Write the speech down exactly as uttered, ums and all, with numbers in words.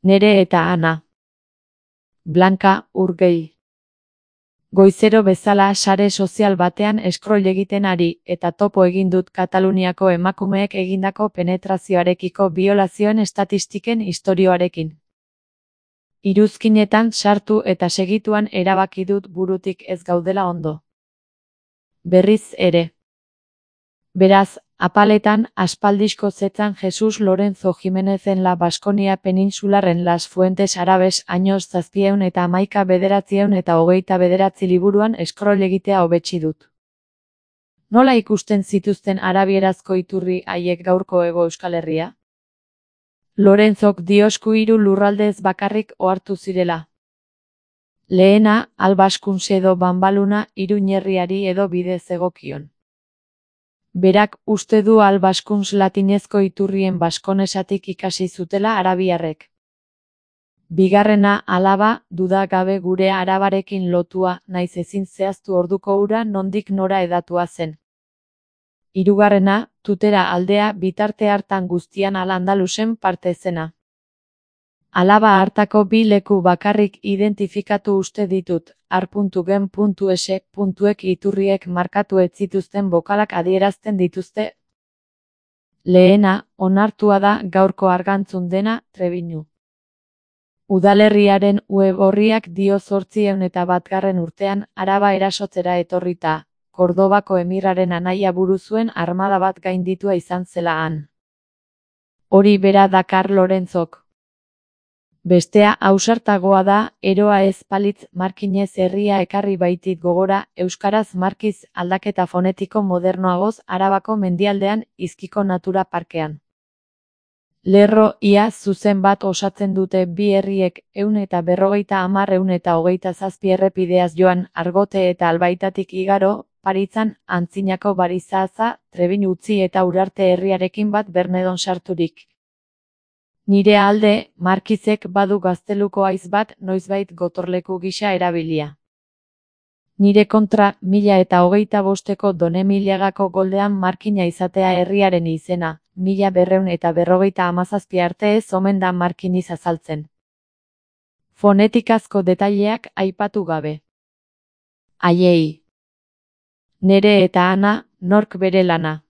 Nere eta Ana. Blanka Urgell. Goizero bezala sare sozial batean scroll egiten ari, eta topo egin dut Kataluniako emakumeek egindako penetrazioarekiko biolazioen estatistiken istorioarekin. Iruzkinetan sartu eta segituan erabaki dut burutik ez gaudela ondo. Berriz ere. Beraz, apaletan aspaldizko zetzan Jesus Lorenzo Jimenezen La Baskonia peninsularren Las Fuentes Arabes años zazpieun eta hamaika bederatzieun eta hogeita bederatzi liburuan scroll egitea hobetsi dut. Nola ikusten zituzten arabierazko iturri haiek gaurko Hego Euskal Herria? Lorenzok diosku hiru lurraldez bakarrik ohartu zirela. Lehena, Albaskuns edo Banbaluna Iruñerriari edo bidez egokion. Berak uste du Albaskuns latinezko iturrien baskonesatik ikasi zutela arabiarrek. Bigarrena, alaba, duda gabe gure arabarekin lotua, naiz ezin zehaztu orduko ura nondik nora edatua zen. Hirugarrena, Tutera aldea bitarte hartan guztian Al-Andalusen parte zena. Alaba hartako bi leku bakarrik identifikatu uste ditut, ar.gen.es.ek iturriek markatu ez zituzten bokalak adierazten dituzte. Lehena, onartua da gaurko Argantzun dena, Trebiñu. Udalerriaren web orriak dio zortziehun eta batgarren urtean Araba erasotzera etorrita, Kordobako emirraren anaia buru zuen armada bat gainditua izan zela han. Hori bera dakar Lorenzok. Bestea ausartagoa da, eroa ez palitz markinez herria ekarri baitit gogora, euskaraz markiz aldaketa fonetiko modernoagoz Arabako mendialdean Izkiko Natura Parkean. Lerro ia zuzen bat osatzen dute bi herriek ehun eta berrogeita hamar ehun eta hogeita zazpi errepideaz joan Argote eta Albaitatik igaro, Paritzan, antzinako Barizaza, Trebin utzi eta Urarte herriarekin bat Bernedon sarturik. Nire alde, Markizek badu gazteluko haiz bat noizbait gotorleku gisa erabilia. Nire kontra, mila eta hogeita bosteko Donemiliagako goldean markina izatea herriaren izena, mila berreun eta berrogeita hamazazpi arte ez omen da markiniz azaltzen. Fonetikazko detaileak aipatu gabe. Aiei. Nere eta Ana, nork bere lana.